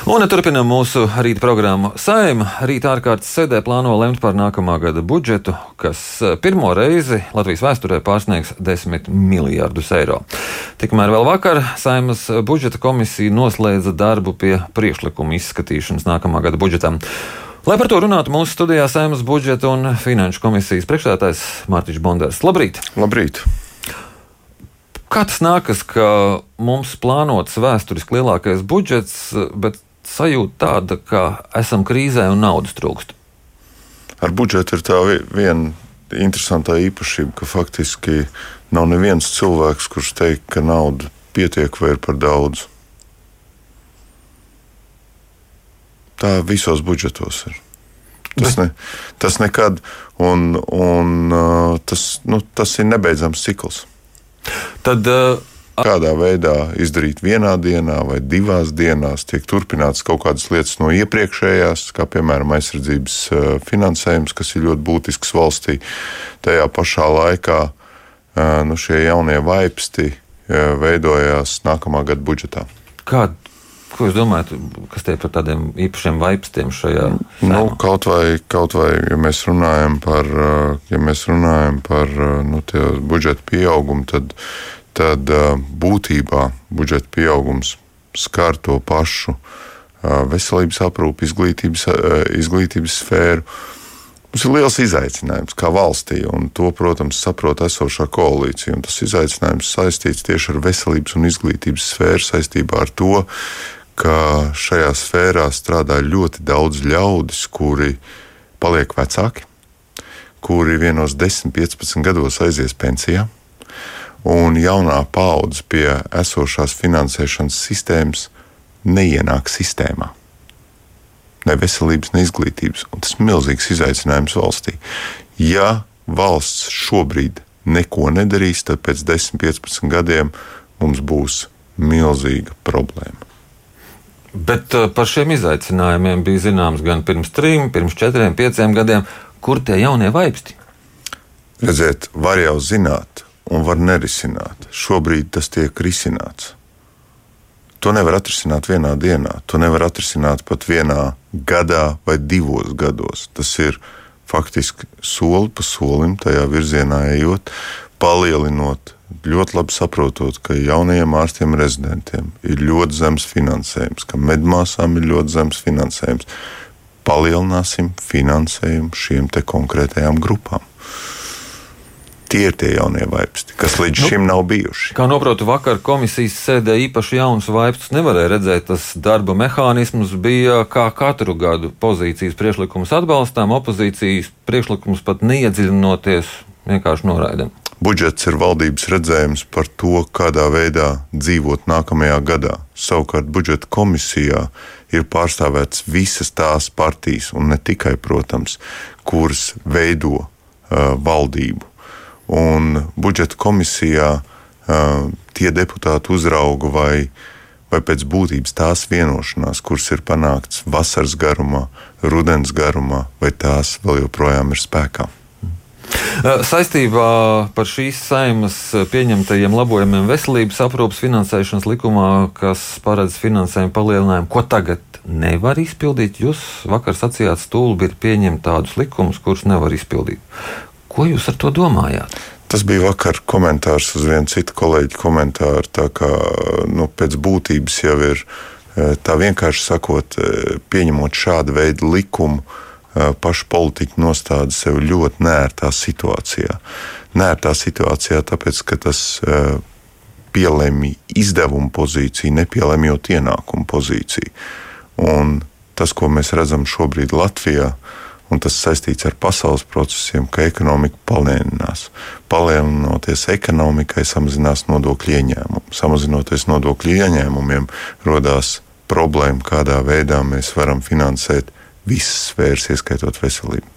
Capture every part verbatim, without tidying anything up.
Un turpinām mūsu rīta programmu. Saeima rīta ārkārtas sēdē plāno lemt par nākamā gada budžetu, kas pirmo reizi Latvijas vēsturē pārsniegs desmit miljardus eiro. Tikmēr vēl vakar Saeimas budžeta komisija noslēdza darbu pie priekšlikuma izskatīšanas nākamā gada budžetam. Lai par to runātu, mūsu studijā Saeimas budžeta un finanšu komisijas priekšsēdētājs Mārtiņš Bonders. Labrīt! Labrīt! Kā tas nākas, ka mums plānots vēsturiski lielākais budžets, bet sajūta tāda, ka esam krīzē un naudas trūkst? Ar budžetu ir tā viena interesantā īpašība, ka faktiski nav neviens cilvēks, kurš teikt, ka nauda pietiek vai ir par daudz. Tā visos budžetos ir. Tas, ne, tas nekad, un, un tas, nu, tas ir nebeidzams cikls. Tad, uh, Kādā veidā izdarīt vienā dienā vai divās dienās, tiek turpināts kaut kādas lietas no iepriekšējās, kā piemēram aizsardzības finansējums, kas ir ļoti būtisks valstī. Tajā pašā laikā nu, šie jaunie vaipsti veidojās nākamā gada budžetā. Kā, ko jūs domājat, kas tie par tādiem īpašiem vaipstiem šajā? Nu, kaut vai, kaut vai, ja mēs runājam par, ja mēs runājam par nu, tie budžeta pieaugumu, tad tad būtībā budžeta pieaugums skar to pašu veselības aprūpi, izglītības, izglītības sfēru. Mums ir liels izaicinājums kā valstī, un to, protams, saprot esošā koalīcija. Un tas izaicinājums saistīts tieši ar veselības un izglītības sfēru saistībā ar to, ka šajā sfērā strādā ļoti daudz ļaudis, kuri paliek vecāki, kuri vienos desmit, piecpadsmit gados aizies pensijā. Un jaunā paudze pie esošās finansēšanas sistēmas neienāk sistēmā. Ne veselības, ne izglītības. Un tas ir milzīgs izaicinājums valstī. Ja valsts šobrīd neko nedarīs, tad pēc desmit, piecpadsmit gadiem mums būs milzīga problēma. Bet par šiem izaicinājumiem bija zināms gan pirms trim, pirms četriem, pieciem gadiem. Kur tie jaunie vaipsti? Redziet, var jau zināt. Un var nerisināt. Šobrīd tas tiek risināts. To nevar atrisināt vienā dienā. To nevar atrisināt pat vienā gadā vai divos gados. Tas ir faktiski soli pa solim tajā virzienā ejot, palielinot, ļoti labi saprotot, ka jaunajiem ārstiem un rezidentiem ir ļoti zems finansējums, ka medmāsām ir ļoti zems finansējums. Palielināsim finansējumu šiem te konkrētajām grupām. Tie ir tie jaunie vaipsti, kas līdz nu, šim nav bijuši. Kā noprotu, vakar komisijas sēdē īpaši jaunus vaipstus nevarēja redzēt. Tas darba mehānisms bija kā katru gadu pozīcijas priekšlikums atbalstām, opozīcijas priekšlikums pat neiedziļinoties, vienkārši noraidam. Budžets ir valdības redzējums par to, kādā veidā dzīvot nākamajā gadā. Savukārt budžeta komisijā ir pārstāvēts visas tās partijas, un ne tikai, protams, kuras veido uh, valdību. Un budžeta komisijā uh, tie deputāti uzrauga vai, vai pēc būtības tās vienošanās, kuras ir panāktas vasaras garumā, rudens garumā, vai tās vēl joprojām ir spēkā. Saistībā par šīs Saeimas pieņemtajiem labojumiem veselības aprūpes finansēšanas likumā, kas paredz finansējumu palielinājumu, ko tagad nevar izpildīt, jūs vakar sacījāt, stulbi ir pieņemt tādus likumus, kurus nevar izpildīt. Ko jūs ar to domājāt? Tas bija vakar komentārs uz vienu citu kolēģi komentāru, tā kā nu, pēc būtības jau ir, tā vienkārši sakot, pieņemot šādu veidu likumu, paši politiķi nostāda sev ļoti neērtā situācijā. Neērtā situācijā, tāpēc, ka tas pielemj izdevumu pozīciju, nepielēmjot ienākumu pozīciju. Un tas, ko mēs redzam šobrīd Latvijā, un tas saistīts ar pasaules procesiem, ka ekonomika palielinās. Palielinoties ekonomikai, samazinās nodokļu ieņēmumu. Samazinoties nodokļu ieņēmumiem, rodās problēma, kādā veidā mēs varam finansēt visas sfēras, ieskaitot veselību.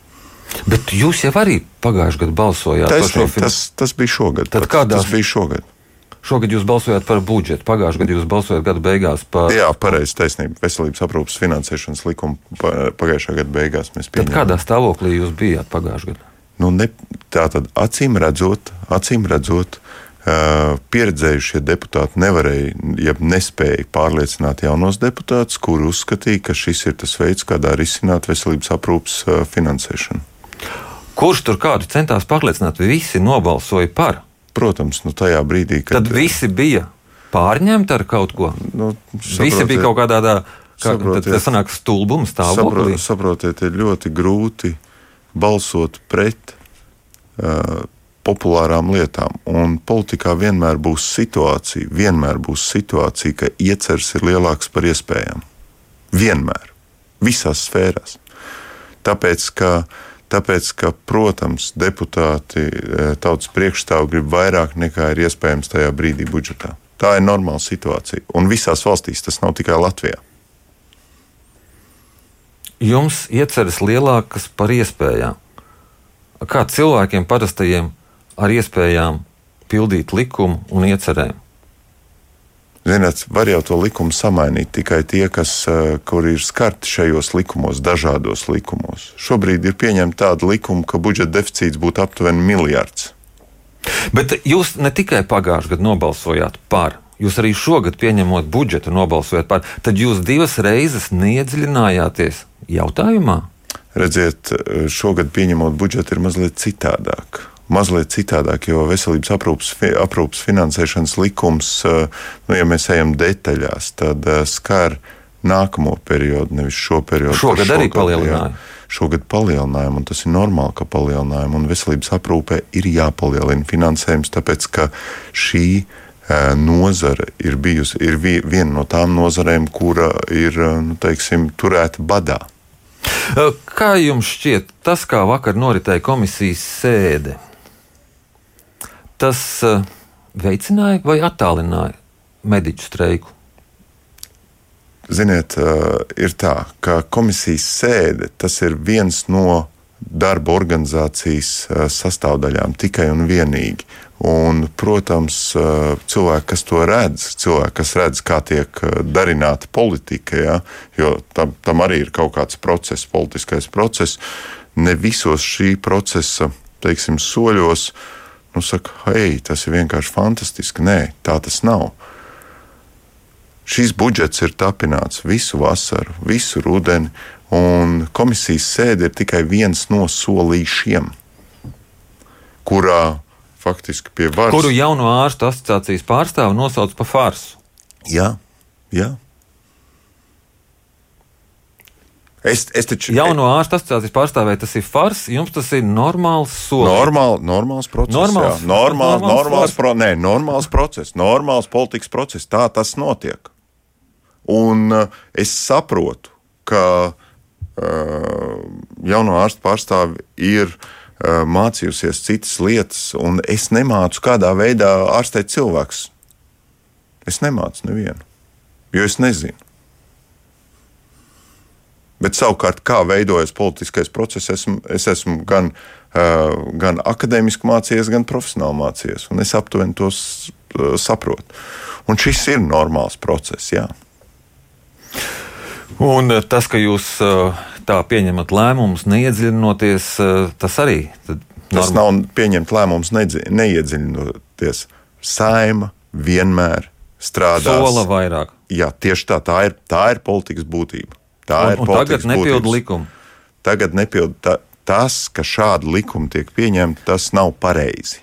Bet jūs jau arī pagājušajā gadā balsojāt Taisnība, par šo finansējumu. Tas, tas bija šogad. Tad kādās... Tas bija šogad. Šogad jūs balsojāt par budžetu, pagājušajā gadā jūs balsojāt gada beigās par... Jā, pareizi, taisnība. Veselības aprūpes finansēšanas likumu pagājušā gada beigās mēs pieņēmām. Tad kādā stāvoklī jūs bijāt pagājušajā gadā? Nu, ne, tā tad acīm redzot, acīm redzot, pieredzējušie deputāti nevarēja, ja nespēja pārliecināt jaunos deputātus, kuri uzskatīja, ka šis ir tas veids, kādā risināt veselības aprūpas finansēšanu. Kurš tur kādu centās pārliecināt? Visi nobalsoja par. Protams, nu tajā brīdī, kad... Tad visi bija pārņemti ar kaut ko? Nu, visi bija kaut kādā tādā, kā, tad tas sanāk stulbums stāvoklī. Saprotiet, saprotiet, ir ļoti grūti balsot pret uh, populārām lietām. Un politikā vienmēr būs situācija, vienmēr būs situācija, ka ieceres ir lielāks par iespējām. Vienmēr. Visās sfērās. Tāpēc, ka, tāpēc, ka protams, deputāti tautas priekšstāvi grib vairāk nekā ir iespējams tajā brīdī budžetā. Tā ir normāla situācija. Un visās valstīs tas nav tikai Latvijā. Jums ieceres lielākas par iespējām. Kā cilvēkiem parastajiem ar iespējām pildīt likumu un iecerēm? Ziniet, var jau to likumu samainīt tikai tie, kas, kuri ir skarti šajos likumos, dažādos likumos. Šobrīd ir pieņemta tāda likuma, ka budžeta deficīts būtu aptuveni miljards. Bet jūs ne tikai pagājušajā gadā nobalsojāt par, jūs arī šogad pieņemot budžetu nobalsojāt par, tad jūs divas reizes neiedziļinājāties jautājumā? Redziet, šogad pieņemot budžetu ir mazliet citādāk. Mazliet citādāk, jo veselības aprūpas, aprūpas finansēšanas likums, nu, ja mēs ejam detaļās, tad skar nākamo periodu, nevis šo periodu. Šogad arī palielināja. Šogad palielinājām, un tas ir normāli, ka palielinājām, un veselības aprūpē ir jāpalielina finansējums, tāpēc, ka šī nozara ir bijusi, ir viena no tām nozarēm, kura ir, nu, teiksim, turēta badā. Kā jums šķiet, tas, kā vakar noritēja komisijas sēde, tas uh, veicināja vai attālināja mediķu streiku? Ziniet, uh, ir tā, ka komisijas sēde, tas ir viens no darba organizācijas uh, sastāvdaļām tikai un vienīgi. Un, protams, uh, cilvēki, kas to redz, cilvēki, kas redz, kā tiek uh, darināta politika, ja, jo tam, tam arī ir kaut kāds process, politiskais process, ne visos šī procesa, teiksim, soļos, nu, saka, hei, tas ir vienkārši fantastiski. Nē, tā tas nav. Šis budžets ir tapināts visu vasaru, visu rudeni, un komisijas sēde ir tikai viens no solīšiem, kurā faktiski pie varas... Kuru jauno ārstu asociācijas pārstāvu nosauc par farsu. Jā, jā. Es, es taču, Jauno ārstu asociācijas pārstāvēja, tas ir fars, jums tas ir normāls solis. Normāl, normāls process, normāls, jā. Normāls, normāls, normāls, pro, nē, normāls process, normāls politikas process, tā tas notiek. Un uh, es saprotu, ka uh, jauno ārstu pārstāvi ir uh, mācījusies citas lietas, un es nemācu kādā veidā ārstēt cilvēkus. Es nemācu nevienu, jo es nezinu. Bet savukārt, kā veidojas politiskais process, esmu, es esmu gan, uh, gan akadēmiski mācījies, gan profesionāli mācījies, un es aptuveni tos uh, saprotu. Un šis ir normāls process, jā. Un tas, ka jūs uh, tā pieņemat lēmumus, neiedziļinoties, uh, tas arī... Tas nav pieņemt lēmumus, neiedziļinoties. Saima vienmēr strādās. Sola vairāk. Jā, tieši tā, tā ir, tā ir politikas būtība. Tā un, un tagad nepilda likumu. Tagad nepilda ta, tas, ka šādi likumi tiek pieņemti, tas nav pareizi.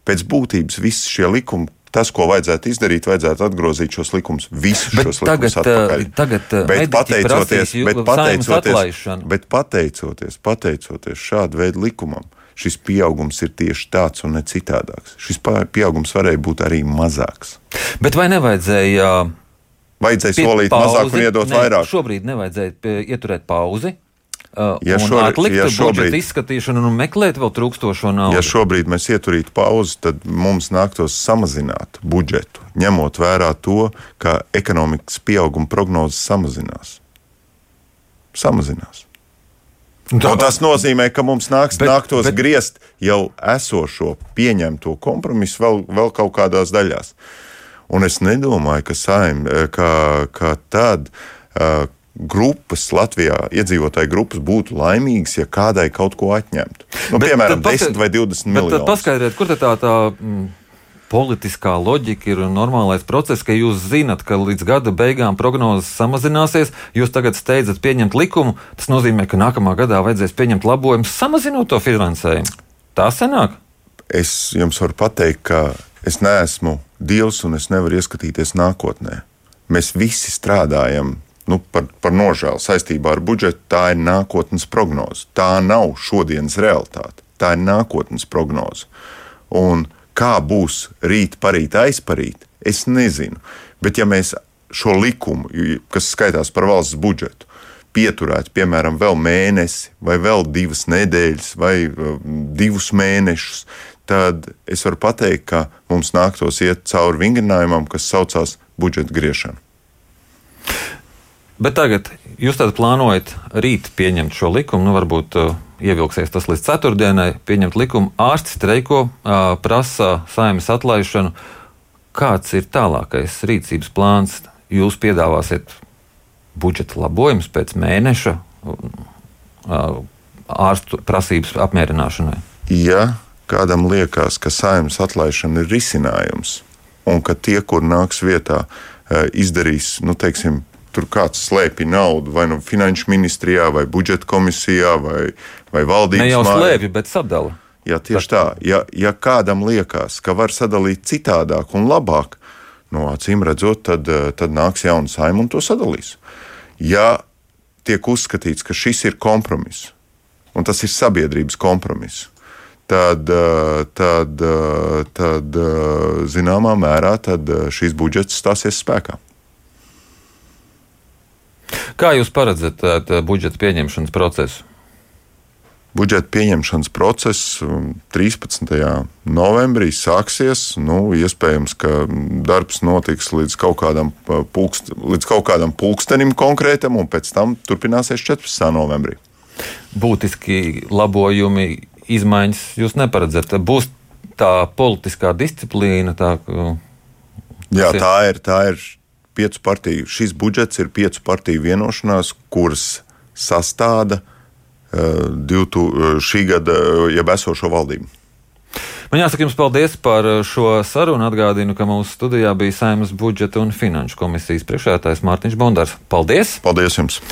Pēc būtības visi šie likumi, tas, ko vajadzētu izdarīt, vajadzētu atgrozīt šos likumus, visus bet šos likumus atpakaļ. Tagad bet pateicoties, bet pateicoties, bet pateicoties, pateicoties, pateicoties šādu veidu likumam, šis pieaugums ir tieši tāds un ne citādāks. Šis pieaugums varēja būt arī mazāks. Bet vai nevajadzēja... Vajadzēja solīt pauzi, mazāk un iedot ne, vairāk. Šobrīd nevajadzēja ieturēt pauzi uh, ja un šobrīd, atlikt ja šobrīd, budžeta izskatīšanu un meklēt vēl trūkstošo naudu. Ja šobrīd mēs ieturītu pauzi, tad mums nāktos samazināt budžetu, ņemot vērā to, ka ekonomikas pieauguma prognozes samazinās. Samazinās. Un tas nozīmē, ka mums nāks, bet, nāktos bet, griezt jau esošo pieņemto kompromisu vēl, vēl kaut kādās daļās. Un es nedomāju, ka, saim, ka, ka tad uh, grupas Latvijā, iedzīvotāju grupas būtu laimīgas, ja kādai kaut ko atņemtu. Nu, bet, piemēram, desmit vai divdesmit miljonus. Bet tad paskaidriet, kur tā tā politiskā loģika ir normālais process, ka jūs zinat, ka līdz gada beigām prognozes samazināsies, jūs tagad steidzat pieņemt likumu, tas nozīmē, ka nākamā gadā vajadzēs pieņemt labojumus, samazinot to finansējumu. Tā sanāk? Es jums varu pateikt, ka es neesmu Dievs un es nevaru ieskatīties nākotnē. Mēs visi strādājam nu, par, par nožēlu saistībā ar budžetu. Tā ir nākotnes prognoze. Tā nav šodienas realitāte. Tā ir nākotnes prognoze. Un kā būs rīt, parīt, aizparīt, es nezinu. Bet ja mēs šo likumu, kas skaitās par valsts budžetu, pieturētu, piemēram, vēl mēnesi, vai vēl divas nedēļas, vai uh, divus mēnešus, tad es varu pateikt, ka mums nāktos iet cauri vingrinājumam, kas saucās budžeta griešana. Bet tagad jūs tad plānojat rīt pieņemt šo likumu, nu varbūt uh, ievilksies tas līdz ceturtdienai, pieņemt likumu, ārsti streiko, uh, prasa Saeimas atlaišanu. Kāds ir tālākais rīcības plāns? Jūs piedāvāsiet budžeta labojumus pēc mēneša uh, ārstu prasības apmierināšanai? Ja kādam liekas, ka Saeimas atlaišana ir risinājums, un ka tie, kur nāks vietā, izdarīs, nu, teiksim, tur kāds slēpj naudu, vai nu finanšu ministrijā, vai budžeta komisijā, vai, vai valdības mājā. Ne jau mājā. slēpj, bet sadala. Jā, tieši tā. Ja, ja kādam liekas, ka var sadalīt citādāk un labāk, no acīm redzot, tad, tad nāks jauna Saeima un to sadalīs. Ja tiek uzskatīts, ka šis ir kompromiss, un tas ir sabiedrības kompromiss, Tad, tad, tad zināmā mērā tad šīs budžets stāsies spēkā. Kā jūs paredzat budžeta pieņemšanas procesu? Budžeta pieņemšanas process trīspadsmitajā novembrī sāksies. Nu, iespējams, ka darbs notiks līdz kaut kādam, pulkst, līdz kaut kādam pulkstenim konkrētam, un pēc tam turpināsies četrpadsmitajā novembrī. Būtiski labojumi, izmaiņas jūs neparedzat. Būs tā politiskā disciplīna? Tā, Jā, tā ir, tā ir piecu partiju. Šis budžets ir piecu partiju vienošanās, kuras sastāda uh, divtu, šī gada jeb esošo valdību. Man jāsaka jums paldies par šo sarunu. Atgādinu, ka mūsu studijā bija Saeimas budžeta un finanšu komisijas priekšsēdētājs Mārtiņš Bondārs. Paldies! Paldies jums!